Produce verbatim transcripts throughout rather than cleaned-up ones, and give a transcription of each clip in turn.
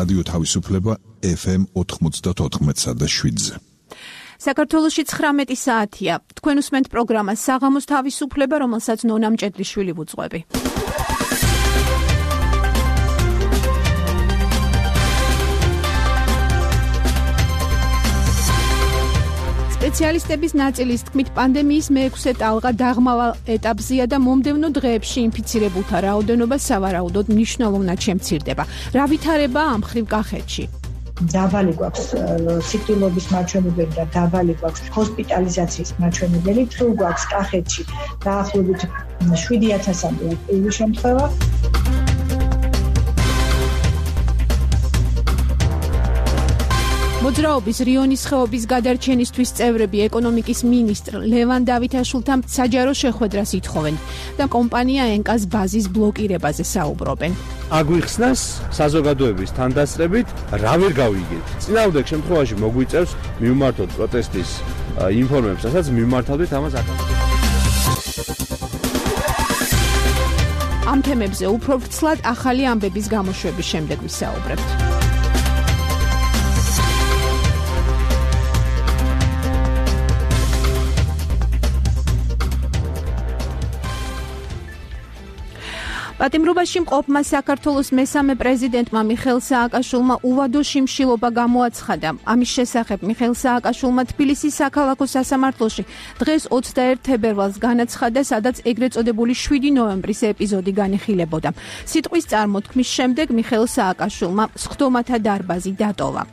რადიო თავისუფლება ეფ ემ ოთხმოცდაოთხ და შვიდზე. საქართველოში ცხრამეტი საათია. თქვენ უსმენთ პროგრამას საღამოს თავისუფლება, რომელსაც ნონა მჭედლიშვილი ვუძღვები. სპეციალისტების ნაწილის თქმით, პანდემიის მეექვსე ტალღა დაღმავალ ეტაპზეა და მომდევნო დღეებში ინფიცირებულთა რაოდენობა სავარაუდოდ მნიშვნელოვნად შემცირდება. რა ვითარებაა ამ მხრივ კახეთში? დაბალი გვაქვს სიკვდილობის მაჩვენებელი და დაბალი გვაქვს ჰოსპიტალიზაციის მაჩვენებელი. თუ გვაქვს კახეთში დაახლოებით შვიდი ათასამდე აქტიური შემთხვევა. მოძრაობის რიონის ხეობის გადარჩენისთვის წევრები ეკონომიკის მინისტრ ლევან დავითაშვილთან საჯარო შეხვედრას ითხოვენ და კომპანია ენკას ბაზის ბლოკირებაზე საუბრობენ. აგვიხსნას საზოგადოების თანდასწრებით რა ვერ გავიგეთ. წინააღმდეგ შემთხვევაში მოგვიწევს მივმართოთ პროტესტის ინფორმაციას, რასაც მივმართავდით ამას აკადემიაში. ამ თემებზე უფრო ვრცლად ახალი ამბების გამოშვების შემდეგ ვისაუბრებთ. პატიმრობაში მყოფმა საქართველოს მესამე პრეზიდენტმა მიხეილ სააკაშვილმა უვადო შიმშილობა გამოაცხადა. ამის შესახებ მიხეილ სააკაშვილმა თბილისის საქალაქო სასამართლოში დღეს ოცდაერთ თებერვალს განაცხადა, სადაც ეგრეთ წოდებული შვიდი ნოემბრის ეპიზოდი განიხილებოდა. სიტყვის წარმოთქმის შემდეგ მიხეილ სააკაშვილმა სხდომათა დარბაზი დატოვა.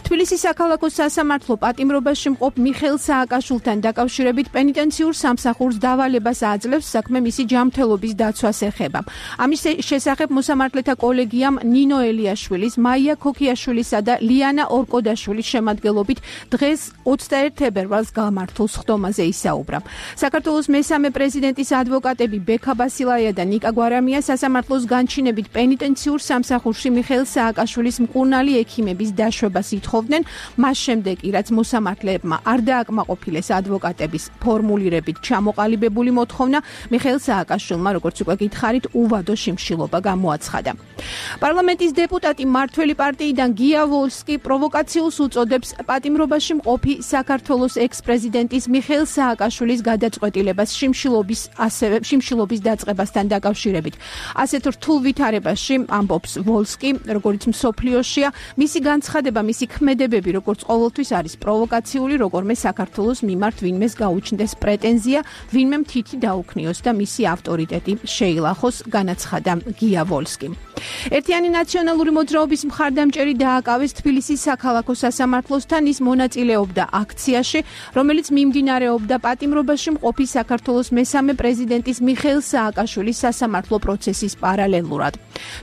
თბილისის საქალაქო სასამართლო პატიმრობაში მყოფ მიხეილ სააკაშვილთან დაკავშირებით პენიტენციურ სამსახურს დავალებას აძლევს, საქმე მისი ჯანმრთელობის დაცვას ეხება. ამის შესახებ მოსამართლეთა კოლეგიამ ნინო ელიაშვილის, მაია ქოქიაშვილისა და ლიანა ორკოდაშვილის შემადგენლობით დღეს ოცდაერთ თებერვალს გამართულ სხდომაზე ისაუბრა. საქართველოს მესამე პრეზიდენტის ადვოკატები ბექა ბასილაია და ნიკა გვარამია სასამართლოს განჩინებით პენიტენციურ სამსახურში მიხეილ სააკაშვილის მკურნალი ექიმების დაშვებას ითხოვდნენ, მას შემდეგ კი რაც მოსამართლეებმა არ დააკმაყოფილეს ადვოკატების ფორმულირებით ჩამოყალიბებული მოთხოვნა, მიხეილ სააკაშვილმა, როგორც უკვე გითხარით, უვადო შიმშილობა გამოაცხადა. პარლამენტის დეპუტატი მართველი პარტიიდან გია ვოლსკი პროვოკაციულს უწოდებს პატიმრობაში მყოფი საქართველოს ექს-პრეზიდენტის მიხეილ სააკაშვილის გადაწყვეტილებას შიმშილობის ასევე შიმშილობის დაწყებასთან დაკავშირებით. ასეთ რთულ ვითარებაში ამბობს ვოლსკი, როგორც მსოფლიოშია, მისი განცხადება, მისი ქმედებები, როგორც ყოველთვის არის პროვოკაციული, როგორმე საქართველოს მიმართ ვინმეს გაუჩნდეს პრეტენზია, ვინმე მთითი დაუქნიოს და მისი ავტორიტეტი შეილახოს, განაცხადა გია ვოლსკიმ. ერთიანი ნაციონალური მოძრაობის მხარდამჭერი დააკავეს თბილისის საქალაქო სასამართლოსთან, ის მონაწილეობდა აქციაში, რომელიც მიმდინარეობდა პატიმრობაში მყოფი საქართველოს მესამე პრეზიდენტის მიხეილ სააკაშვილის სასამართლო პროცესის პარალელურად.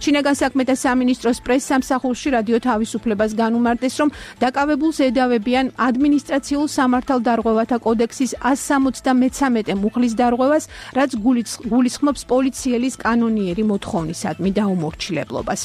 შინაგან საქმეთა სამინისტროს პრესსამსახურში რადიო თავისუფლებას განუმარტეს, რომ დაკავებულს ედავებიან ადმინისტრაციულ სამართალდარღვევათა კოდექსის ასი სამოცდამეცამეტე მუხლის დარღვევას, რაც გულისხმობს პოლიციელის კანონიერი მოთხოვნისადმი დაუმორჩილებლობას.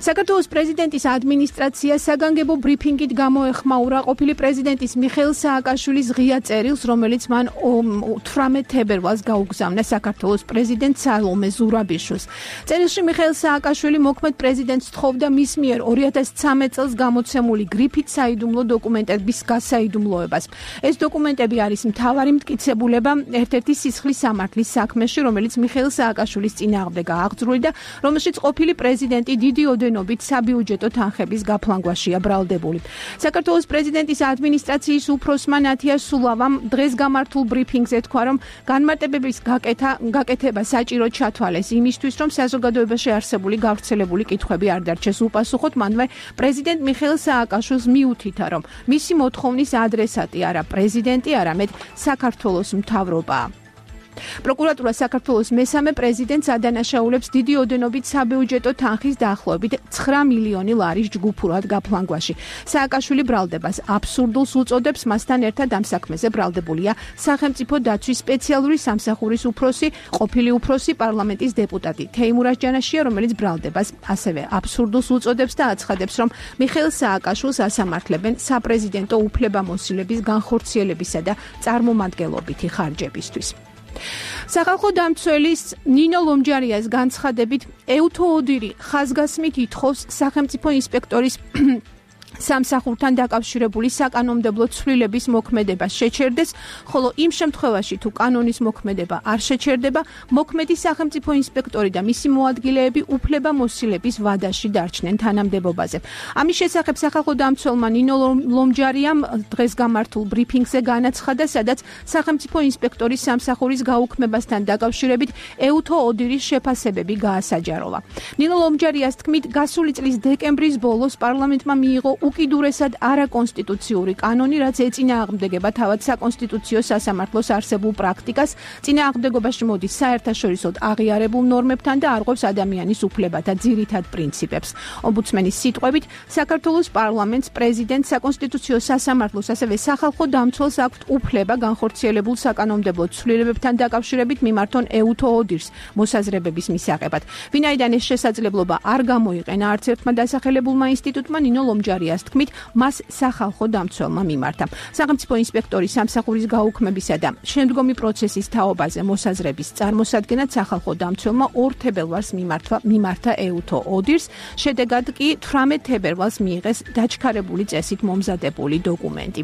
საქართველოს პრეზიდენტის ადმინისტრაცია საგანგებო ბრიფინგით გამოეხმაურა ყოფილი პრეზიდენტის მიხეილ სააკაშვილის ღია წერილს, რომელიც მან ოცდაოთხ თებერვალს გაუგზავნა საქართველოს პრეზიდენტ სალომე ზურაბიშვილს. წერილში მიხეილ სააკაშვილი მოქმედ პრეზიდენტს თხოვდა მის მიერ ორი ათას ცხრამეტ წელს გამოცემული გრიფით საიდუმლო დოკუმენტების გასაიდუმლოებას. ეს დოკუმენტები არის მთავარი მტკიცებულება ერთ-ერთი სისხლის სამართლის საქმეში, რომელიც მიხეილ სააკაშვილის წინააღმდეგაა აღძრული და რომელშიც ყოფილი პრეზიდენტი დიდი ოდენობით საბიუჯეტო თანხების გაფლანგვაშია ბრალდებული. საქართველოს პრეზიდენტის ადმინისტრაციის უფროსმა ნათია სულავამ დღეს გამართულ ბრიფინგზე თქვა, რომ განმარტებების გაკეთა გაკეთება საჭირო ჩათვალეს იმისთვის, რომ საზოგადოებაში არსებული გავრცელებული კითხვები არ დარჩეს უპასუხოდ, მანვე პრეზიდენტ მიხეილ სააკაშვილს მიუთითა, რომ მისი მოთხოვნის ადრესატი არა პრეზიდენტი, არამედ საქართველოს მთავრობაა. პროკურატურა საქართველოს მესამე პრეზიდენტს ადანაშაულებს დიდი ოდენობით საბიუჯეტო თანხის დაახლოებით ცხრა მილიონი ლარის ჯგუფურად გაფლანგვაში. სააკაშვილი ბრალდებას აბსურდულს უწოდებს, მასთან ერთად ამ საქმეზე ბრალდებულია სახელმწიფო დაცვის სპეციალური სამსახურის უფროსი, ყოფილი უფროსი პარლამენტის დეპუტატი თეიმურაზ ჯანაშია, რომელიც ბრალდებას ასევე აბსურდულს უწოდებს და აცხადებს, რომ მიხეილ სააკაშვილს ასამართლებენ საპრეზიდენტო უფლებამოსილების განხორციელებისა და წარმომადგენლობითი ხარჯებისთვის. სახალხო დამცველის ნინო ლომჯარიას განცხადებით ეუთო ოდირი ხაზგასმით ითხოვს სახელმწიფო ინსპექტორის სამსახურთან დაკავშირებული საკანონმდებლო ცვლილების მოქმედება შეჩერდეს, ხოლო იმ შემთხვევაში თუ კანონის მოქმედება არ შეჩერდება, მოქმედი სახელმწიფო ინსპექტორი და მისი მოადგილეები უფლებამოსილების ვადაში დარჩნენ თანამდებობაზე. ამის შესახებ სახალხო დამცველმა ნინო ლომჯარიამ დღეს გამართულ ბრიფინგზე განაცხადა, სადაც სახელმწიფო ინსპექტორის სამსახურის გაუქმებასთან დაკავშირებით ეუთო ოდირის შეფასებები გაასაჯაროვა. ნინო ლომჯარიას თქმით, გასული წლის დეკემბრის ბოლოს პარლამენტმა მიიღო უკიდურესად არაკონსტიტუციური კანონი, რაც ეწინააღმდეგება თავად საკონსტიტუციო სასამართლოს არსებულ პრაქტიკას, წინააღმდეგობაში მოდის საერთაშორისოდ აღიარებულ ნორმებთან და არღვევს ადამიანის უფლებათა ძირითად პრინციპებს. ომბუდსმენის სიტყვებით, საქართველოს პარლამენტს, პრეზიდენტს, საკონსტიტუციო სასამართლოს, ასევე სახალხო დამცველს აქვთ უფლება განხორციელებულ საკანონმდებლო ცვლილებებთან დაკავშირებით მიმართონ ეუთო ოდირს მოსაზრებების მისაღებად. ვინაიდან ეს შესაძლებლობა არ გამოიყენა არც ერთმა დასახელებულმა ინსტიტუტმა, ნინო ლომჯარიას თქმით, მას სახალხო დამცველმა მიმართა. სახელმწიფო ინსპექტორის სამსახურის გაუქმებისა და შემდგომი პროცესის თაობაზე მოსაზრების წარმოსადგენად სახალხო დამცველმა ორ თებერვალს მიმართა ეუთო ოდირს, შედეგად კი თვრამეტ თებერვალს მიიღეს დაჩქარებული წესით მომზადებული დოკუმენტი.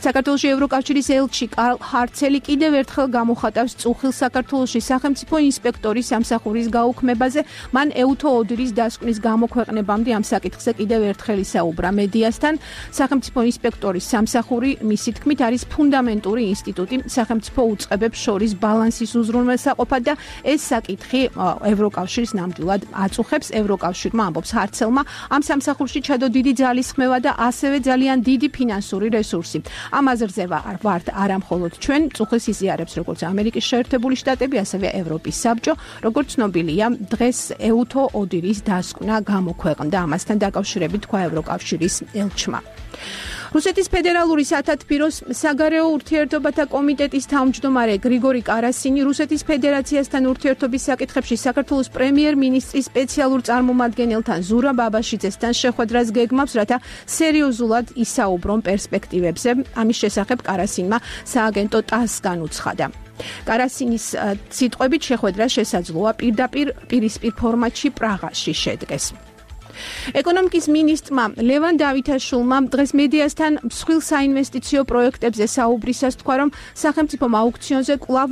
საქართველოში ევროკავშირის ელჩი კარლ ჰარცელი კიდევ ერთხელ გამოხატავს წუხილს საქართველოში სახელმწიფო ინსპექტორის სამსახურის გაუქმებაზე, მან ეუთო ოდირის დასკვნის გამოქვეყნებამდე ამ საკითხზე კიდევ ერთხელ ისაუბრა მედიასთან. სახელმწიფო ინსპექტორის სამსახური, მისი თქმით, არის ფუნდამენტური ინსტიტუტი სახელმწიფო უწყებებს შორის ბალანსის უზრუნველსაყოფად და ეს საკითხი ევროკავშირს ნამდვილად აწუხებს. ევროკავშირმა, ამბობს ჰარცელმა, ამ სამსახურში ჩადო დიდი ძალისხმევა და ასევე ძალიან დიდი ფინანსური რესურსი. ამ აზრზე ვართ არა მხოლოდ ჩვენ, წუხილს იზიარებს როგორც ამერიკის შეერთებული შტატები, ასევე ევროპის საბჭო. როგორც ცნობილია, დღეს ეუთო ოდირის დასკვნა გამოქვეყნდა. ამასთან დაკავშირებით თქვა ევროკავშირის ელჩმა. რუსეთის ფედერალური სათათბიროს საგარეო ურთიერთობათა კომიტეტის თავმჯდომარე გრიგორი კარასინი რუსეთის ფედერაციასთან ურთიერთობის საკითხებში საქართველოს პრემიერ-მინისტრის სპეციალურ წარმომადგენელთან ზურაბ ბაბაშიძესთან შეხვედრას გეგმავს, რათა სერიოზულად ისაუბრონ პერსპექტივებზე. ამის შესახებ კარასინმა სააგენტო ტასს განუცხადა. კარასინის სიტყვებით შეხვედრა შესაძლოა პირდაპირ პირისპირ ფორმატში პრაღაში შედგეს. ეკონომიკის მინისტრმა ლევან დავითაშვილმა დღეს მედიასთან მსხვილ საინვესტიციო პროექტებზე საუბრისას თქვა, რომ სახელმწიფომ აუქციონზე კვლავ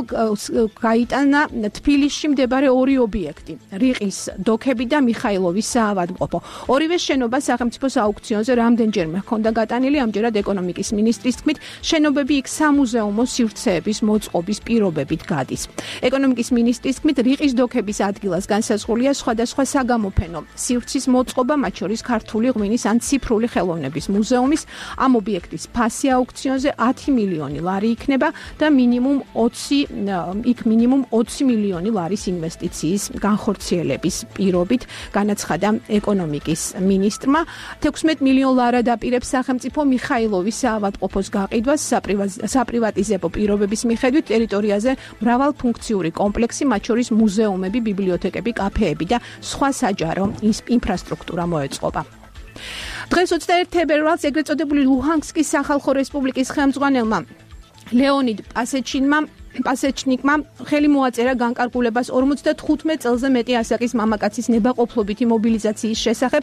გაიტანა თბილისში მდებარე ორი ობიექტი, რიყის დოქები და მიხაილოვის საავადმყოფო. ორივე შენობა სახელმწიფოს აუქციონზე რამდენჯერმე ჰქონდა გატანილი, ამჯერად ეკონომიკის მინისტრის თქმით, შენობები იქ სამუზეუმო სივრცეების მოწყობის პირობებით გადის. ეკონომიკის მინისტრის თქმით, რიყის დოქების ადგილას განსაზღვრულია სხვადასხვა საგამოფენო სივრცის მოწყობა, მათ შორის ქართული ღვინის ან ციფრული ხელოვნების მუზეუმის. ამ ობიექტის ფასი აუქციონზე ათი მილიონი ლარი იქნება და მინიმუმ ოცი იქ მინიმუმ ოცი მილიონი ლარის ინვესტიციის განხორციელების პირობით განაცხადა ეკონომიკის მინისტრმა. თექვსმეტ მილიონ ლარად აპირებს სახელმწიფო მიხაილოვის საავადმყოფოს გაყიდვას საპრივატიზებო პირობების მიხედვით ტერიტორიაზე მრავალფუნქციური კომპლექსი, მათ შორის მუზეუმები, ბიბლიოთეკები, კაფეები და სხვა საჯარო ინფრასტრუქტურა მოეწყობა. დღეს ოცდაერთი თებერვალს ეგრეთ წოდებული ლუჰანსკის სახალხო რესპუბლიკის ხელმძღვანელმა ლეონიდ პასეჩინმა პასეჩნიკმა ხელი მოაწერა განკარგულებას ორმოცდათხუთმეტ წელზე მეტი ასაკის მამაკაცის ნებაყოფლობითი მობილიზაციის შესახებ.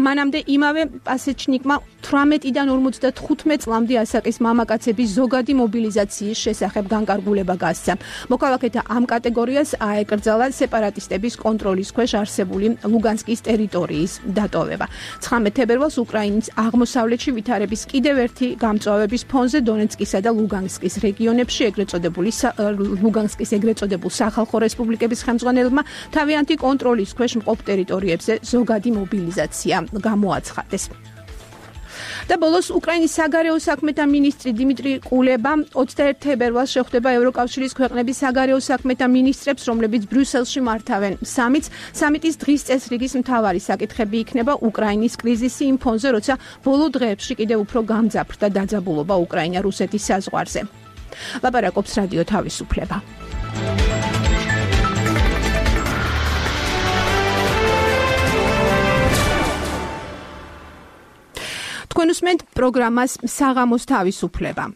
მანამდე იმავე პასეჩნიკმა თვრამეტიდან ორმოცდათხუთმეტ წლამდე ასაკის მამაკაცების ზოგადი მობილიზაციის შესახებ განკარგულება გასცა. მოქალაქეთა ამ კატეგორიას აეკრძალა სეპარატისტების კონტროლის ქვეშ არსებული ლუგანსკის ტერიტორიის დატოვება. ცხრამეტ თებერვალს უკრაინის აღმოსავლეთში ვითარების კიდევ ერთი გამწვავების ფონზე დონეცკისა და ლუგანსკის რეგიონებში ეგრეთ წოდებული ლუგანსკის ეგრეთ წოდებულ სახალხო რესპუბლიკების ხელმძღვანელებმა თავიანთი კონტროლის ქვეშ მყოფ ტერიტორიებზე ზოგადი მობილიზაცია გამოაცხადეს. და ბოლოს უკრაინის საგარეო საქმეთა მინისტრი დიმიტრი კულება ოცდაერთი თებერვალს შეხვდება ევროკავშირის ქვეყნების საგარეო საქმეთა მინისტრებს, რომლებიც ბრიუსელში მართავენ სამიტს. სამიტის დღის წესრიგის მთავარი საკითხები იქნება უკრაინის კრიზისი იმ ფონზე, როცა ბოლო დღეებში კიდევ უფრო გამძაფრდა დაძაბულობა უკრაინა-რუსეთის საზღვარზე. ლაპარაკობს რადიო თავისუფლება. თქვენ უსმენთ პროგრამას საღამოს თავისუფლება.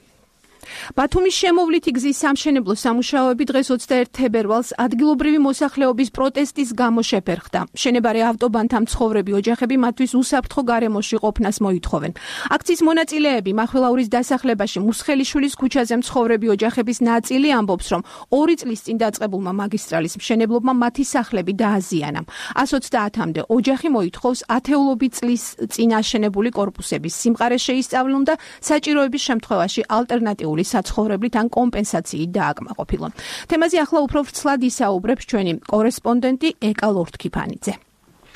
ბათუმის შემოვლითი გზის სამშენებლო სამუშაოები დღეს ოცდაერთი თებერვალს ადგილობრივი მოსახლეობის პროტესტის გამო შეფერხდა. მშენებარე ავტობანთა მცხოვრები ოჯახები მათთვის უსაფრთხო გარემოში ყოფნას მოითხოვენ. აქციის მონაწილეები მახვილაურის დასახლებაში მუსხელიშვილის ქუჩაზე მცხოვრები ოჯახების ნაწილი ამბობს, რომ ორი წლის წინ დაწყებულმა მაგისტრალის მშენებლობმა მათი სახლები დააზიანა. ას ოცდაათამდე ოჯახი მოითხოვს ათეულობით წლის წინ აშენებული კორპუსების სიმყარე შეისწავლონ და საჭიროების შემთხვევაში ალტერნატიული საცხოვრებლით ან კომპენსაციით დააკმაყოფილონ. თემაზე ახლა უფრო ვრცლად ისაუბრებს ჩვენი კორესპონდენტი ეკა ლორთქიფანიძე.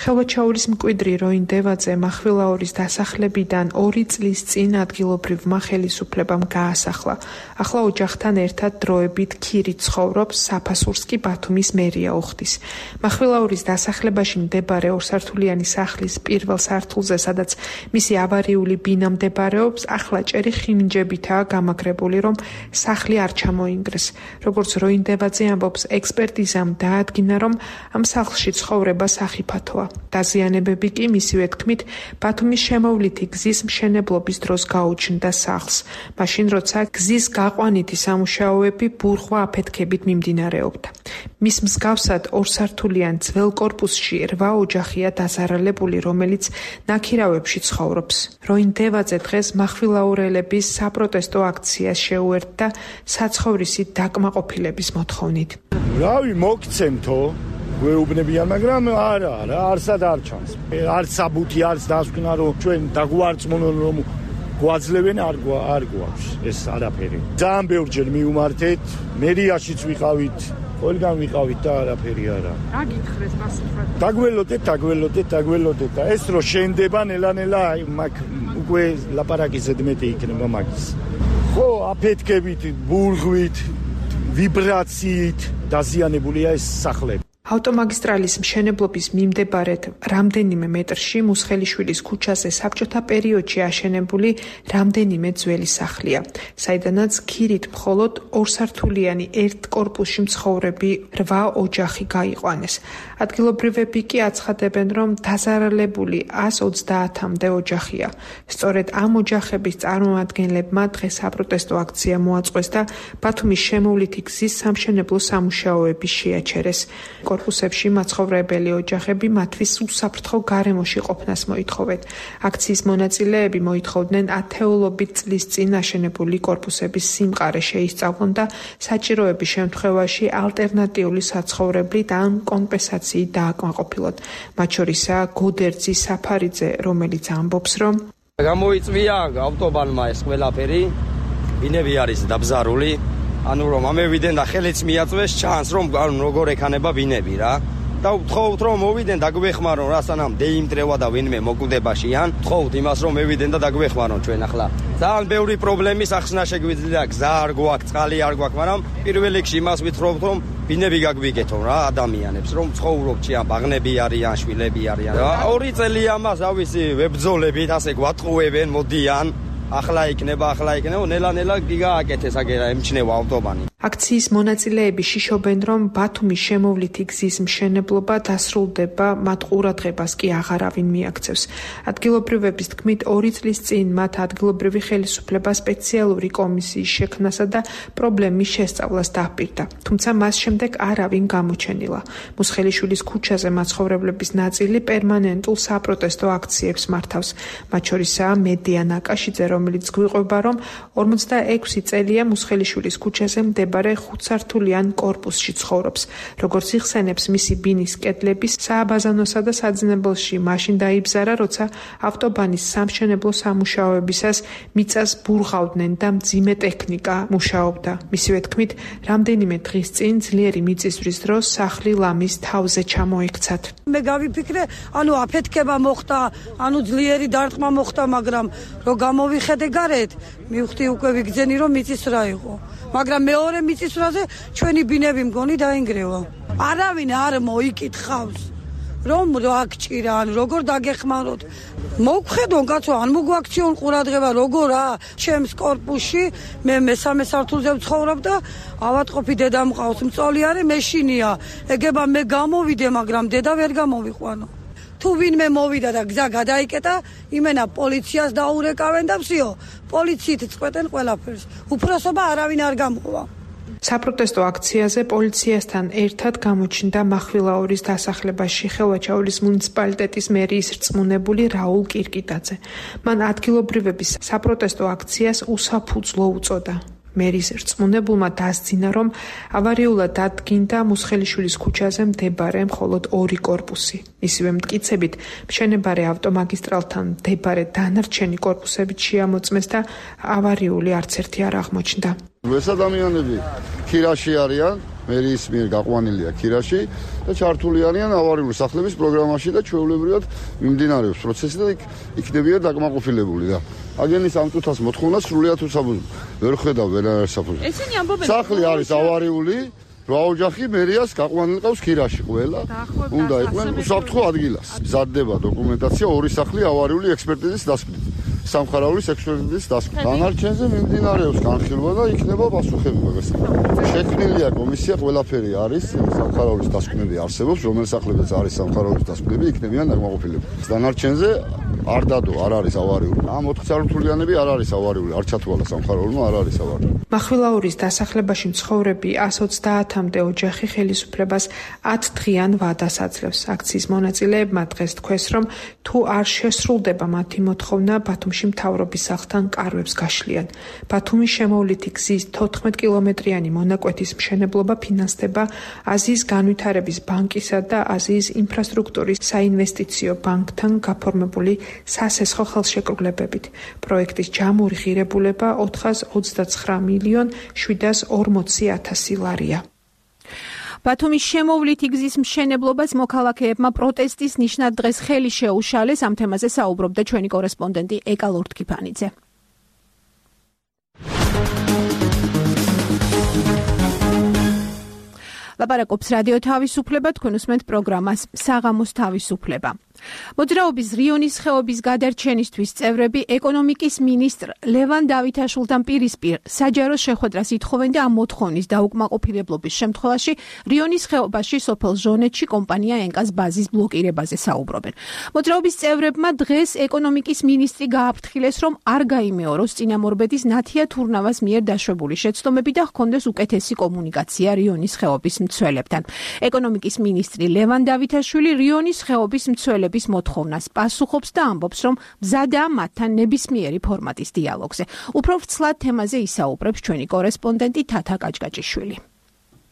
ხელვაჩაურის მკვიდრი როინ დევაძე მახვილაურის დასახლებიდან ორი წლის წინ ადგილობრივმა ხელისუფლებამ გაასახლა. ახლა ოჯახთან ერთად დროებით ქირით ცხოვრობს საფასურს კი ბათუმის მერია უხდის. მახვილაურის დასახლებაში მდებარე ორსართულიანი სახლის პირველ სართულზე, სადაც მისი ავარიული ბინა მდებარეობს, ახლა ჭერი ხინჯებითაა გამაგრებული, რომ სახლი არ ჩამოინგრეს. როგორც როინ დევაძე ამბობს, ექსპერტიზამ დაადგინა, რომ ამ სახლში ცხოვრება სახიფათოა. დაზიანებები კი მისივე თქმით ბათუმის შემოვლითი გზის მშენებლობის დროს გაუჩნდა სახლს. მაშინ როცა გზის გაყვანითი სამუშაოები ბურღვა აფეთქებით მიმდინარეობდა. მის მსგავსად ორსართულიან ძველ კორპუსში რვა ოჯახია დაზარალებული, რომელიც ნაქირავებში ცხოვრობს. როინ დევაძე დღეს მახვილაურელების საპროტესტო აქციას შეუერთდა საცხოვრისი დაკმაყოფილების მოთხოვნით. რავი მოგცემთო გვეუბნებიან, მაგრამ არა, რა არსად არ ჩანს. არც საბუთი, არც დასკვნა, რომ ჩვენ დაგვარწმუნონ, რომ გვაძლევენ, არ არ გვაქვს ეს არაფერი. ძალიან ბევრჯერ მივმართეთ, მერიაშიც ვიყავით, ყველგან ვიყავით და არაფერი არა. რა გითხრეს მასწავლად? დაგველოდეთ, დაგველოდეთ, დაგველოდეთ და ეს რო შენდება ნელა-ნელა, მაგ უკვე ლაპარაკი ზედმეტი იქნება მაგის. ხო, აფეთქებით, ბურღვით, ვიბრაციით დაზიანებულია ეს სახლები. ავტომაგისტრალის მშენებლობის მიმდებარედ რამდენიმე მეტრში მუსხელიშვილის ქუჩაზე საბჭოთა პერიოდში აშენებული რამდენიმე ძველი სახლია, საიდანაც ქირით მხოლოდ ორსართულიანი ერთ კორპუსში მცხოვრები რვა ოჯახი გაიყვანეს. ადგილობრივები კი აცხადებენ, რომ დაზარალებული ას ოცდაათამდე ოჯახია. სწორედ ამ ოჯახების წარმომადგენლებმა დღეს საპროტესტო აქცია მოაწყვეს და ბათუმის შემოვლითი გზის სამშენებლო სამუშაოები შეაჩერეს. კორპუსებში მაცხოვრებელი ოჯახები მათთვის უსაფრთხო გარემოში ყოფნას მოითხოვენ. აქციის მონაწილეები მოითხოვდნენ ათეულობით წლის წინ აშენებული კორპუსების სიმყარე შეისწავლონ და საჭიროების შემთხვევაში ალტერნატიული საცხოვრებლით ან კომპენსაციით დააკმაყოფილონ. მათ შორისაა გოდერძი საფარიძე, რომელიც ამბობს, რომ გამოიწვია ავტობანმა ეს ყველაფერი, ბინები არის დაბზარული. ანუ რომ ამევიდენ და ხელიც მიაწვეს, ჩანს რომ როგორ ეკანება ბინები რა. და ვთხოვთ რომ მოვიდენ დაგვეხმარონ, რასანამ დეიმტრევა და ვინმე მოკვდებაშიან. ვთხოვთ იმას რომ მევიდენ და დაგვეხმარონ ჩვენ ახლა. ძალიან ბევრი პრობლემის ახსნა შეგვიძლია, გზა არ გვაქვს, წყალი არ გვაქვს, მაგრამ პირველ რიგში იმას ვითხრობთ რომ ბინები გაგვიგეთონ რა ადამიანებს, რომ ცხოვრობთ ჩიან, ბაღნები არიან, შვილები არიან. ორი წელია მას ავისი ვებძოლებით ასე გვატყუებენ, მოდიან. ახლა იქნება, ახლა იქნება, ნელა-ნელა გიგააკეთეს აგერა ემჩნევა ავტობანი. აქციის მონაწილეები შიშობენ, რომ ბათუმის შემოვლითი გზის მშენებლობა დასრულდება, მათ ყურადღებას კი აღარავინ მიაქცევს. ადგილობრივების თქმით, ორი წლის წინ მათ ადგილობრივი ხელისუფლება სპეციალური კომისიის შექმნასა და პრობლემის შესწავლას დაჰპირდა. თუმცა მას შემდეგ არავინ გამოჩენილა. მუსხელიშვილის ქუჩაზე მაცხოვრებლების ნაწილი პერმანენტულ საპროტესტო აქციებს მართავს. მათ შორისაა მედია ნაკაშიძე, რომელიც გვიყვება, რომ ორმოცდაექვსი წელია მუსხელიშვილის ქუჩაზე მდებარე ხუთსართულიან კორპუსში ცხოვრობს. როგორც იხსენებს, მისი ბინის კედლები სააბაზანოსა და საძინებელში მაშინ დაიბზარა, როცა ავტობანის სამშენებლო სამუშაოებისას მიწას ბურღავდნენ და მძიმე ტექნიკა მუშაობდა. მისივე თქმით, რამდენიმე დღის წინ ძლიერი მიწისძვრის დროს სახლი ლამის თავზე ჩამოექცათ. მე გავიფიქრე, ანუ აფეთქება მოხდა, ანუ ძლიერი დარტყმა მოხდა, მაგრამ რო გამოვიხედე გარეთ, მივხვდი უკვე ვიგზენი რომ მიწისძვრა იყო. მაგრამ მეორე მიწისძვრაზე ჩვენი ბინები მგონი დაინგრევა. არავინ არ მოიკითხავს, რომ რა გჭირა, ან როგორ დაგეხმაროთ. მოგხედონ კაცო, ან მოგვაქციონ ყურადღება, როგორ რა, ჩემს კორპუსში მე მესამე სართულზე ვცხოვრობ და ავატყოფი დედა მყავს, მწოლი არის, მეშინია. ეგება მე გამოვიდე, მაგრამ დედა ვერ გამოვიყვანო. თუ ვინმე მოვიდა და გზა გადაიკეტა, იმენა პოლიციას დაურეკავენ და всё, პოლიციით წყვეტენ ყველაფერს. უფროსობა არავინ არ გამოვა. საპროტესტო აქციაზე პოლიციასთან ერთად გამოჩნდა მახვილაურის დასახლებაში ხელვაჩაურის მუნიციპალიტეტის მერის რწმუნებული რაულ კირკიტაძე. მან ადგილობრივების საპროტესტო აქციას უსაფუძვლო უწოდა. მერის რწმუნებულმა დასძინა, რომ ავარიულად დადგინდა მუსხელიშვილის ქუჩაზე მდებარე მხოლოდ ორი კორპუსი. ისივე მტკიცებით, მშენებარე ავტომაგისტრალთან მდებარე დანარჩენი კორპუსებით შეამოწმეს და ავარიული არც ერთი არ აღმოჩნდა. ეს ადამიანები ქირაში არიან, მერის მიერ გაყვანილია ქირაში და ჩართული არიან ავარიული სახლების პროგრამაში და ჩვეულებრივად მიმდინარეობს პროცესი და იქ იქნებიან დაკმაყოფილებული და აგენის ამ წუთას მოთხოვნა სრულიად უსაფუძვლო. ვერ ხედავ ვერანაირ საფუძვლს. ესენი ამბობენ, სახლი არის ავარიული, რა ოჯახი მერიას გაყვანილი ყავს ქირაში ყველა. უნდა იყვნენ უსაფრთხო ადგილას. მზადდება დოკუმენტაცია ორი სახლი ავარიული ექსპერტიზის დასკვნით. სამხარაულის ექსპერტიზის დასკვნით. დანარჩენზე მიმდინარეობს განხილვა და იქნება პასუხები მაგას. შექმნილია კომისია, ყველაფერი არის, სამხარაულის დასკვნები არსებობს, რომელ სახლებიც არის სამხარაულის დასკვნები, იქნებიან დაკმაყოფილებული. დანარჩენზე არ დადო, არ არის ავარიული. ამ ოთხ სართულიანები არ არის ავარიული, არ ჩათვალა სამხარაულმა, არ არის ავარიული. მახვილაურის დასახლებაში მცხოვრები εκατს ოცდაათამდე ოჯახი ხელისუფლებას ათ დღიან ვადას აძლევს. აქციის მონაწილეებმა დღეს თქვეს, რომ თუ არ შესრულდება მათი მოთხოვნა, ბათუმში მთავრობის სახლთან კარვებს გაშლიან. ბათუმის შემოვლითი გზის თოთხმეტ კილომეტრიანი მონაკვეთის მშენებლობა ფინანსდება აზიის განვითარების ბანკისა და აზიის ინფრასტრუქტურის საინვესტიციო ბანკთან გაფორმებული სასესხო ხელშეკრულებებით. პროექტის ჯამური ღირებულება ოთხას ოცდაცხრა მილიონ შვიდას ორმოცი ათასი ლარია. ბათუმის შემოვლითი გზის მშენებლობას მოქალაქეებმა პროტესტის ნიშნად დღეს ხელი შეუშალეს. ამ თემაზე საუბრობდა ჩვენი კორესპონდენტი ეკა ლორთქიფანიძე. ლაპარაკობს რადიო თავისუფლება, თქვენ უსმენთ პროგრამას საღამოს თავისუფლება. მოძრაობის რიონის ხეობის გადარჩენისთვის წევრები ეკონომიკის მინისტრ ლევან დავითაშვილთან პირისპირ საჯარო შეხვედრას ითხოვენ და ამ მოთხოვნის დაუკმაყოფილებლობის შემთხვევაში რიონის ხეობაში სოფელ ჟონეთში კომპანია ენკას ბაზის ბლოკირებაზე საუბრობენ. მოძრაობის წევრებმა დღეს ეკონომიკის მინისტრი გააფრთხილეს, რომ არ გაიმეოროს წინამორბედის ნათია თურნავას მიერ დაშვებული შეცდომები და ჰქონდეს უკეთესი კომუნიკაცია რიონის ხეობის მცველებთან. ეკონომიკის მინისტრი ლევან დავითაშვილი რიონის ხეობის მცველებს მოთხოვნას პასუხობს და ამბობს, რომ მზადაა მათთან ნებისმიერი ფორმატის დიალოგზე. უფრო ვრცლად თემაზე ისაუბრებს ჩვენი კორესპონდენტი თათა კაჭკაჭიშვილი.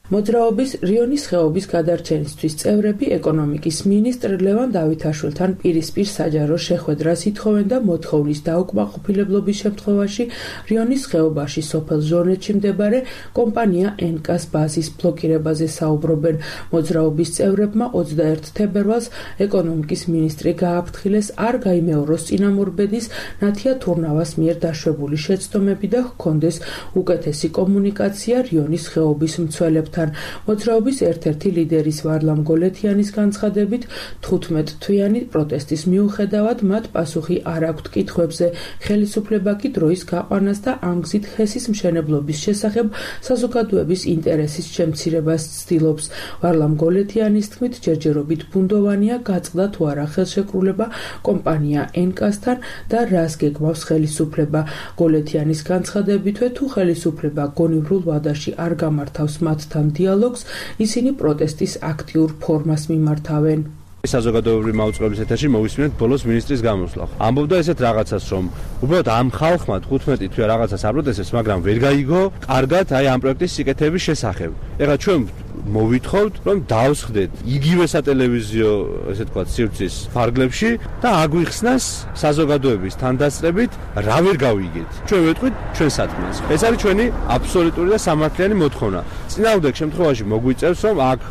მოძრაობის რიონის ხეობის გადარჩენისთვის წევრები ეკონომიკის მინისტრ ლევან დავითაშვილთან პირისპირ საჯარო შეხვედრას ითხოვენ და მოთხოვნის დაუკმაყოფილებლობის შემთხვევაში რიონის ხეობაში სოფელ ჟონეთში მდებარე კომპანია ენკას ბაზის ბლოკირებაზე საუბრობენ. მოძრაობის წევრებმა ოცდაერთ თებერვალს ეკონომიკის მინისტრი გააფრთხილეს, არ გაიმეოროს წინამორბედის ნათია თურნავას მიერ დაშვებული შეცდომები და ჰქონდეს უკეთესი კომუნიკაცია რიონის ხეობის მცველებთან. მოძრაობის ერთ-ერთი ლიდერის ვარლამ გოლეთიანის განცხადებით, თხუთმეტ თვიანი პროტესტის მიუხედავად მათ პასუხი არ აქვთ კითხვებზე. ხელისუფლება კი დროის გაყვანას და ამ გზით ჰესის მშენებლობის შესახებ საზოგადოების ინტერესის შემცირებას ცდილობს. ვარლამ გოლეთიანის თქმით, ჯერჯერობით ბუნდოვანია გაწყდა თუ არა ხელშეკრულება კომპანია ენკასთან და რას გეგმავს ხელისუფლება. გოლეთიანის განცხადებითვე, თუ ხელისუფლება გონივრულ ვადაში არ გამართავს მათთან დიალოგს, ისინი პროტესტის აქტიურ ფორმას მიმართავენ. საზოგადოებრივი მაუწყებლობის ეთერში მოვისმინეთ ბოლოს მინისტრის გამოსვლა. ამბობდა ესეთ რაღაცას, რომ უბრალოდ ამ ხალხმა თხუთმეტი თვე რაღაცას აპროტესტებს, მაგრამ ვერ გაიგო კარგად აი ამ პროექტის სიკეთების შესახებ. ეხლა ჩვენ მოვითხოვთ, რომ დავსხდეთ იგივე სატელევიზიო, ესე თქვა, სივრცის ფარგლებში და აგვიხსნას საზოგადოების თანდასწრებით, რა ვერ გავიგეთ. ჩვენ ვეთქვით ჩვენ სათქმელს. ეს არის ჩვენი აბსოლუტური და სამართლიანი მოთხოვნა. წინააღმდეგ შემთხვევაში მოგვიწევს, რომ აქ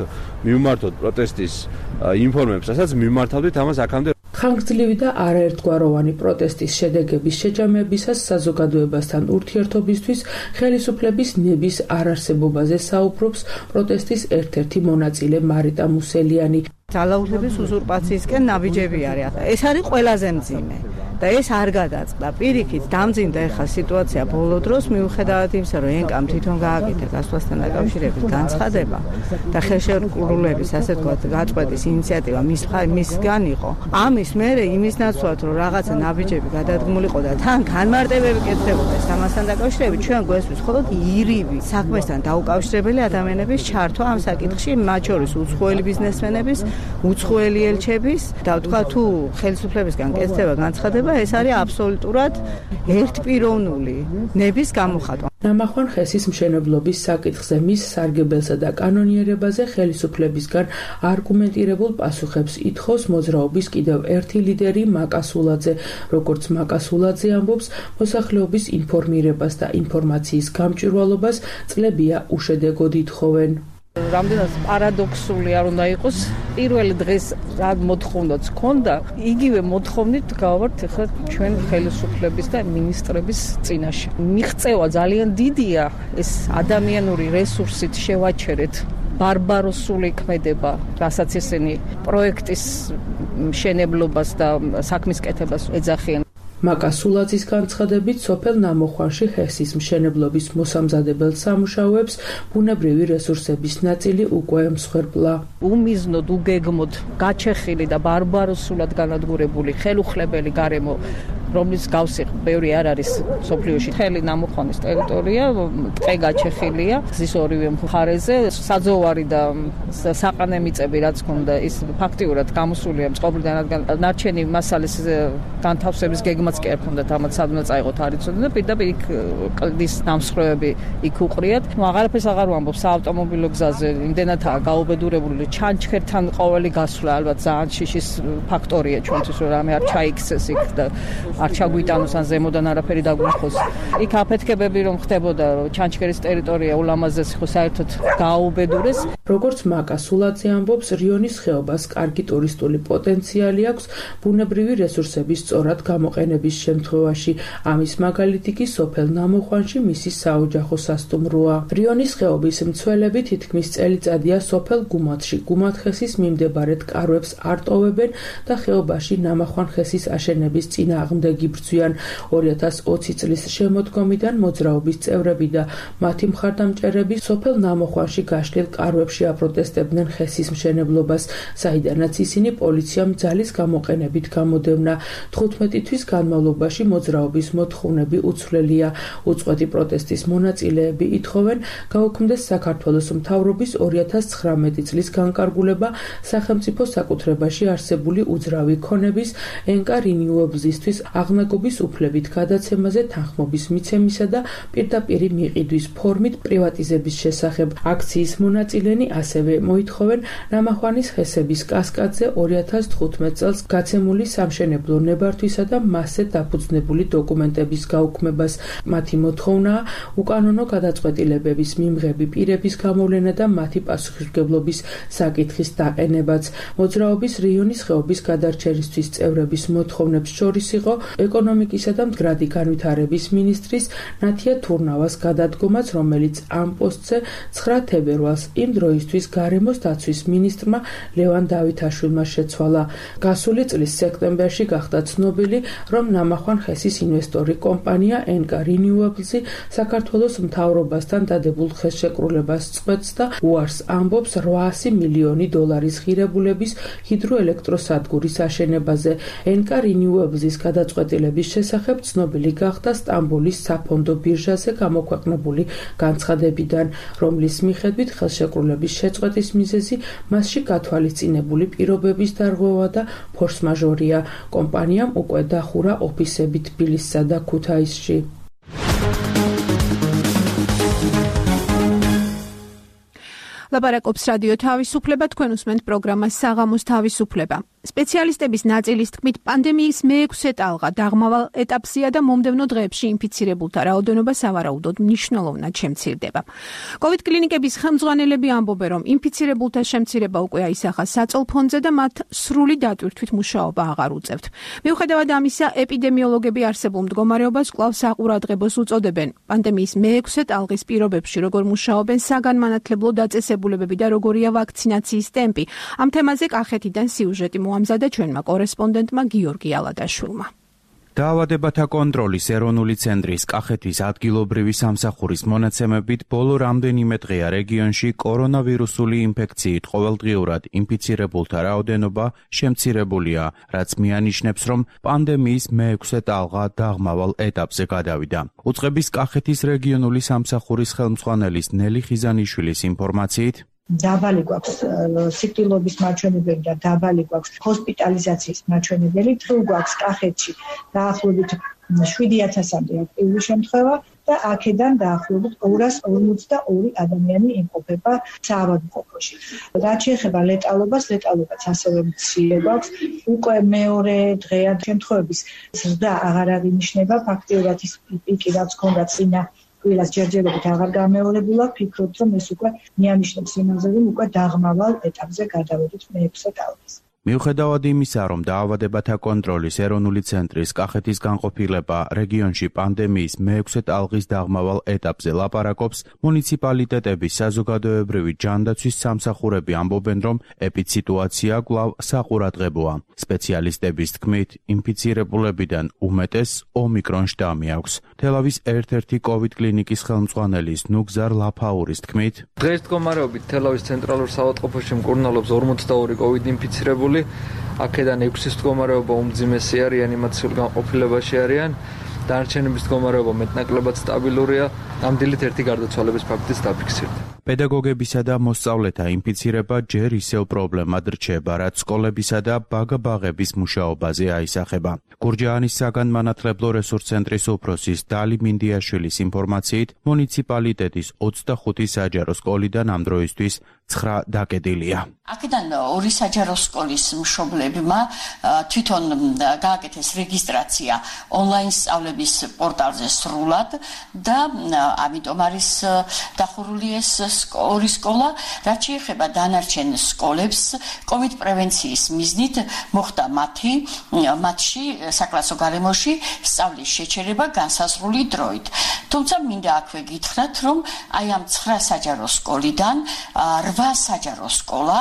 მივმართოთ პროტესტის ინფორმაციას, რასაც მიმართავდით ამას აქამდე. ხანგრძლივი და არაერთგვაროვანი პროტესტის შედეგების შეჯამებისას საზოგადოებასთან ურთიერთობისთვის ხელისუფლების ნების არარსებობაზე საუბრობს პროტესტის ერთ-ერთი მონაწილე მარიტა მუსელიანი. ძალაუფლების უზურპაციისკენ ნაბიჯები არის. ეს არის ყველაზე მძიმე. და ეს არ გადაწყდა. პირიქით დამძიმდა ეხლა სიტუაცია ბოლო დროს მიუხედავად იმისა, რომ ენკამ თვითონ გააკეთა გასვლასთან დაკავშირებით განცხადება და ხელშეკრულების ასე ვთქვათ გაწყვეტის ინიციატივა მის მისგან იყო. ამის მერე იმის ნაცვლად რომ რაღაცა ნაბიჯები გადადგმულიყო და თან განმარტებები კეთდებოდა ამასთან დაკავშირებით ჩვენ გვესმის მხოლოდ ირიბი საქმესთან დაუკავშირებელი ადამიანების ჩართვა ამ საკითხში, მათ შორის უცხოელი ბიზნესმენების, უცხოელი ელჩების და ვთქვა თუ ხელისუფლებისგან კეთდება განცხადება, ეს არის აბსოლუტურად ერთპიროვნული ნების გამოხატვა. ნამახვან ხესის მშენებლობის საკითხზე მის სარგებელსა და კანონიერებაზე ხელისუფლებისგან არგუმენტირებულ პასუხებს ითხოვს მოძრაობის კიდევ ერთი ლიდერი მაკასულაძე. როგორც მაკასულაძე ამბობს, მოსახლეობის ინფორმირებას და ინფორმაციის გამჭვირვალობას წლებია უშედეგოდ ითხოვენ. რამდენად პარადოქსული არ უნდა იყოს, პირველი დღეს რა მოთხოვნაც ქონდა, იგივე მოთხოვნით გავართ ახლა ჩვენ ხელისუფლების და მინისტრების წინაშე. მიღწევა ძალიან დიდია, ეს ადამიანური რესურსით შევაჩერეთ ბარბაროსული ქმედება, რასაც ესენი პროექტის მშენებლობას და საქმის კეთებას ეძახიან. მაკასულაძის განცხადებით, სოფელ ნამოხვანში ხესის მშენებლობის მოსამზადებელ სამუშაოებს ბუნებრივი რესურსების ნაწილი უკვე მსხვერპლა. უმიზნოდ, უგეგმოდ გაჩეხილი და ბარბაროსულად განადგურებული ხელუხლებელი გარემო, რომლის გავსი ბევრი არ არის სოფლიოში. მთელი ნამოხვანის ტერიტორია ტყე გაჩეხილია გზის ორივე მხარეზე, საძოვარი და საყანე მიწები რაც ქონდა, ის ფაქტიურად გამოსულია წყობრიდან, რადგან ნარჩენი მასალის განთავსების გეგმაც კი არ ქონდათ, ამათ სადმე წაიღოთ არ იცოდნენ და პირდაპირ იქ კლდის დამსხვრევები იქ უყრიათ. ნუ აღარაფერს აღარ ვამბობ, საავტომობილო გზაზე იმდენადაა გაუბედურებული ჩანჩქერთან ყოველი გასვლა, ალბათ ძალიან შიშის ფაქტორია ჩვენთვის, რომ რამე არ ჩაიქცეს იქ და არ ჩაგვიტანოს ან ზემოდან არაფერი დაგვიხოს. იქ აფეთქებები რომ ხდებოდა, ჩანჩქერის ტერიტორია ულამაზესი ხო საერთოდ გააუბედურეს. როგორც მაკასულაძე ამბობს, რიონის ხეობას კარგი ტურისტული პოტენციალი აქვს ბუნებრივი რესურსების სწორად გამოყენების შემთხვევაში. ამის მაგალითი კი სოფელ ნამოხვანში მისი საოჯახო სასტუმროა. რიონის ხეობის მცველები თითქმის წელიწადია სოფელ გუმათში გუმათხესის მიმდებარედ კარვებს არ ტოვებენ და ხეობაში ნამახვანხესის აშენების წინააღმდეგი ბრძვიან. ორი ათას ოცი წლის შემოდგომიდან მოძრაობის წევრები და მათი მხარდამჭერები სოფელ ნამოხვანში გაშლილ კარვებში აპროტესტებდნენ ხესის მშენებლობას, საიდანაც ისინი პოლიციამ ძალის გამოყენებით გამოდევნა. თხუთმეტი თვის განმავლობაში მოძრაობის მოთხოვნები უცვლელია. უწყვეტი პროტესტის მონაწილეები ითხოვენ გაუქმდეს საქართველოს მთავრობის ორი ათას ცხრამეტი წლის განკარგულება სახელმწიფო საკუთრებაში არსებული უძრავი ქონების ენკა რინიუებლისთვის აღნაგობის უფლებით გადაცემაზე თანხმობის მიცემისა და პირდაპირი მიყიდვის ფორმით პრივატიზების შესახებ. აქციის მონაწილენი ასევე მოითხოვენ ნამახვანის ხესების კასკადზე ორი ათას თხუთმეტ წელს გაცემული სამშენებლო ნებართვისა და მასზე დაფუძნებული დოკუმენტების გაუქმებას. მათი მოთხოვნაა უკანონო გადაწყვეტილებების მიმღები პირების გამოვლენა და მათი პასუხისმგებლობის საკითხის დაყენებაც. მოძრაობის რიონის ხეობის გადარჩენისთვის წევრების მოთხოვნებს შორის იყო ეკონომიკისა და მდგრადი განვითარების მინისტრის ნათია თურნავას გადადგომაც, რომელიც ამ პოსტზე ცხრა თებერვალს იმ დროისთვის გარემოს დაცვის მინისტრმა ლევან დავითაშვილმა შეცვალა. გასული წლის სექტემბერში გახდა ცნობილი, რომ ნამახვან ხესის ინვესტორი კომპანია ენკა რინიუებლზი საქართველოს მთავრობასთან დადებულ ხელშეკრულებას წყვეტს და უარს ამბობს რვაასი მილიონი დოლარის ღირებულების ჰიდროელექტროსადგურის აშენებაზე. ენკა რინიუებლზის გადაწყვეტილების შესახებ ცნობილი გახდა სტამბოლის საფონდო ბირჟაზე გამოქვეყნებული განცხადებიდან, რომლის მიხედვით ხელშეკრულების შეწყვეტის მიზეზი მასში გათვალისწინებული პირობების დარღვევა და ფორს-მაჟორია. კომპანიამ უკვე დახურა ოფისები თბილისსა და ქუთაისში. ლაპარაკობს რადიო თავისუფლება, თქვენ უსმენთ პროგრამას საღამოს თავისუფლება. სპეციალისტების ნაწილის თქმით, პანდემიის მეექვსე ტალღა დაღმავალ ეტაპზეა და მომდევნო დღეებში ინფიცირებულთა რაოდენობა სავარაუდოდ მნიშვნელოვნად შემცირდება. კოვიდ კლინიკების ხელმძღვანელები ამბობენ, რომ ინფიცირებულთა შემცირება უკვე აისახა საწოლფონზე და მათ სრული დატვირთვით მუშაობა აღარ უწევთ. მიუხედავად ამისა, ეპიდემიოლოგები არსებულ მდგომარეობას კვლავ საყურადღებოს უწოდებენ. პანდემიის მეექვსე ტალღის პირობებში როგორ მუშაობენ საგანმანათლებლო დაწესებულებები და როგორია ვაქცინაციის ტემპი. ამ თემაზე კახეთიდან სიუჟეტი მოამზადა ჩვენმა კორესპონდენტმა გიორგი ალადაშვილმა. დაავადებათა კონტროლის ეროვნული ცენტრის კახეთის ადგილობრივი სამსახურის მონაცემებით ბოლო რამდენიმე დღეა რეგიონში კორონავირუსული ინფექციით ყოველდღიურად ინფიცირებულთა რაოდენობა შემცირებულია, რაც მიანიშნებს, რომ პანდემიის მეექვსე ტალღა დაღმავალ ეტაპზე გადავიდა. უწყების კახეთის რეგიონული სამსახურის ხელმძღვანელის ნელი ხიზანიშვილის ინფორმაციით, დაბალი გვაქვს სიკვდილობის მაჩვენებელი და დაბალი გვაქვს ჰოსპიტალიზაციის მაჩვენებელი. დღეს გვაქვს კახეთში დაახლოებით შვიდი ათასამდე აქტიური შემთხვევა და აქედან დაახლოებით ორას ორმოცდაორი ადამიანი იმყოფება საავადმყოფოში. რაც შეეხება ლეტალობას, ლეტალობაც ასევე მცირე გვაქვს. უკვე მეორე დღეა შემთხვევების ზრდა აღარ აღინიშნება. ფაქტიურად ის პიკი რაც ჰქონდა წინა ვილას ჯერჯერობით აღარ გამეორებულა, ფიქრობთ, რომ ეს უკვე მიანიშნებს იმაზე, რომ უკვე დაღმავალ ეტაპზე გადავედით მეექვსე ტალღის. მიუხედავად იმისა, რომ დაავადებათა კონტროლის ეროვნული ცენტრის კახეთის განყოფილება რეგიონში პანდემიის მეექვსე ტალღის დაღმავალ ეტაპზე ლაპარაკობს, მუნიციპალიტეტების საზოგადოებრივი ჯანდაცვის სამსახურები ამბობენ, რომ ეპიდსიტუაცია კვლავ საყურადღებოა. სპეციალისტების თქმით, ინფიცირებულებიდან უმეტეს ომიკრონ შტამი აქვს. თელავის ერთ-ერთი კოვიდ კლინიკის ხელმძღვანელის ნუგზარ ლაფაურის თქმით, დღეს მდგომარეობით თელავის ცენტრალურ საავადმყოფოში მკურნალობს ორმოცდაორი კოვიდ ინფიცირებული. აქედან ექვსის მდგომარეობა უმძიმესი არის, რეანიმაციულ განყოფილებაში არიან. დანარჩენების მდგომარეობა მეტნაკლებად სტაბილურია. ამ დილით ერთი გარდაცვალების ფაქტიც დაფიქსირდა. პედაგოგებისა და მოსწავლეთა ინფიცირება ჯერ ისევ პრობლემად რჩება, რაც სკოლებისა და ბაგა-ბაღების მუშაობაზე აისახება. გურჯაანის საგანმანათლებლო რესურს ცენტრის უფროსის დალი მინდიაშვილის ინფორმაციით, მუნიციპალიტეტის ოცდახუთი საჯარო სკოლიდან ამ დროისთვის ცხრა დაკეტილია. აქედან ორი საჯარო სკოლის მშობლებმა თვითონ გააკეთეს რეგისტრაცია ონლაინ სწავლების პორტალზე სრულად და ამიტომ არის დახურული ეს ორი სკოლა. რაც შეეხება დანარჩენ სკოლებს, კოვიდ პრევენციის მიზნით მოხდა მათი მათში საკლასო გარემოში სწავლის შეჩერება განსაზღვრული დროით. თუმცა მინდა აქვე გითხრათ, რომ აი ამ ცხრა საჯარო სკოლიდან რვა საჯარო სკოლა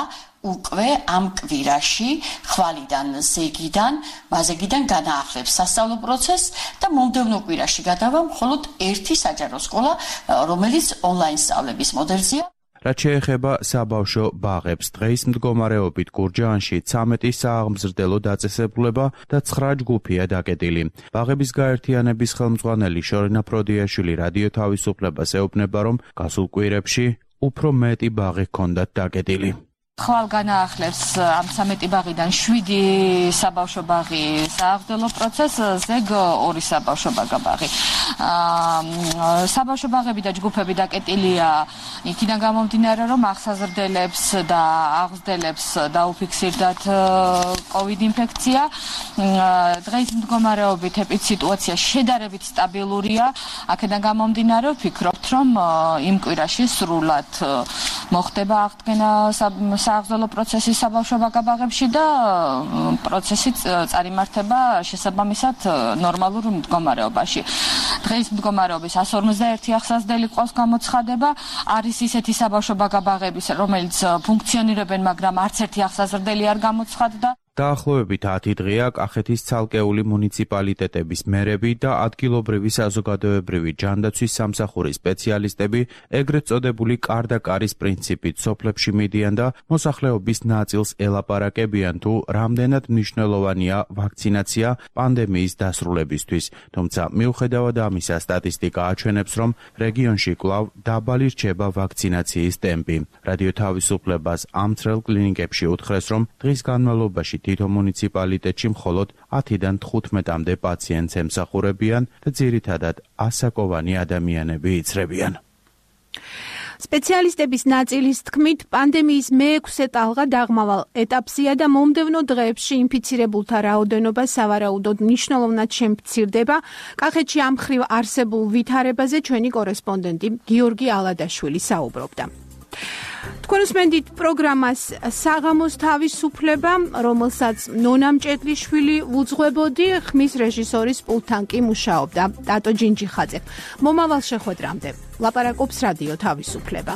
უკვე ამ კვირაში ხვალიდან ზეგიდან მაზეგიდან განაახლებს სასწავლო პროცესს და მომდევნო კვირაში გადავა მხოლოდ ერთი საჯარო სკოლა, რომელიც ონლაინ სწავლების მოდელზეა. რაც შეეხება საბავშვო ბაღებს, დღის მდგომარეობით გურჯაანში ცამეტი სააღმზრდელო დაწესებულება და ცხრა ჯგუფია დაკეტილი. ბაღების გაერთიანების ხელმძღვანელი შორინა ფროდიაშვილი რადიო თავისუფლებას ეუბნება, რომ გასულ კვირებში უფრო მეტი ბაღი ჰქონდათ დაკეტილი. ხვალ განაახლებს ამ ცამეტი ბაღიდან შვიდი საბავშვო ბაღი სააღმრდელო პროცესს, ზეგ ორი საბავშვო ბაღი. საბავშვო ბაღები და ჯგუფები დაკეტილია იქიდან გამომდინარე, რომ აღსაზრდელებს და აღზრდელებს დაუფიქსირდათ კოვიდ ინფექცია. დღეს მდგომარეობით ეპიდსიტუაცია შედარებით სტაბილურია. აქედან გამომდინარე, ვფიქრობთ, რომ იმ კვირაში სრულად მოხდება აღდგენა სააღმრდელო პროცესი საბავშვო ბაღებში და პროცესი წარიმართება შესაბამისად ნორმალურ მდგომარეობაში. დღეს მდგომარეობის εκατს ორმოცდაერთი აღსაზრდელი ყავს გამოცხადება. არის ისეთი საბავშვო ბაღები, რომელიც ფუნქციონირებენ, მაგრამ არც ერთი აღსაზრდელი არ გამოცხადდა. დაახლოებით ათი დღეა კახეთის ცალკეული მუნიციპალიტეტების მერები და ადგილობრივი საზოგადოებრივი ჯანდაცვის სამსახურის სპეციალისტები ეგრეთ წოდებული კარდაკარის პრინციპით სოფლებში მიდიან და მოსახლეობის ნაწილს ელაპარაკებიან თუ რამდენად მნიშვნელოვანია ვაქცინაცია პანდემიის დასრულებისთვის. თუმცა მიუხედავად ამისა, სტატისტიკა აჩვენებს, რომ რეგიონში კვლავ დაბალი რჩება ვაქცინაციის ტემპი. რადიო თავისუფლებას ამ წრელ კლინიკებში უთხრეს, რომ დღის განმავლობაში თითო მუნიციპალიტეტში მხოლოდ ათიდან თხუთმეტამდე პაციენტს ემსახურებიან და ძირითადად ასაკოვანი ადამიანები იცრებიან. სპეციალისტების ნაწილის თქმით, პანდემიის მეექვსე ტალღა დაღმავალ ეტაპზეა და მომდევნო დღეებში ინფიცირებულთა რაოდენობა სავარაუდოდ მნიშვნელოვნად შემცირდება. კახეთში ამ მხრივ არსებულ ვითარებაზე ჩვენი კორესპონდენტი გიორგი ალადაშვილი საუბრობდა. თქვენ უსმენთ პროგრამას საღამოს თავისუფლება, რომელსაც ნონა მჭედლიშვილი უძღვებოდი, ხმის რეჟისორის პულტთან კი მუშაობდა ტატო ჯინჯიხაძე. მომავალ შეხვედრამდე ლაპარაკობს რადიო თავისუფლება.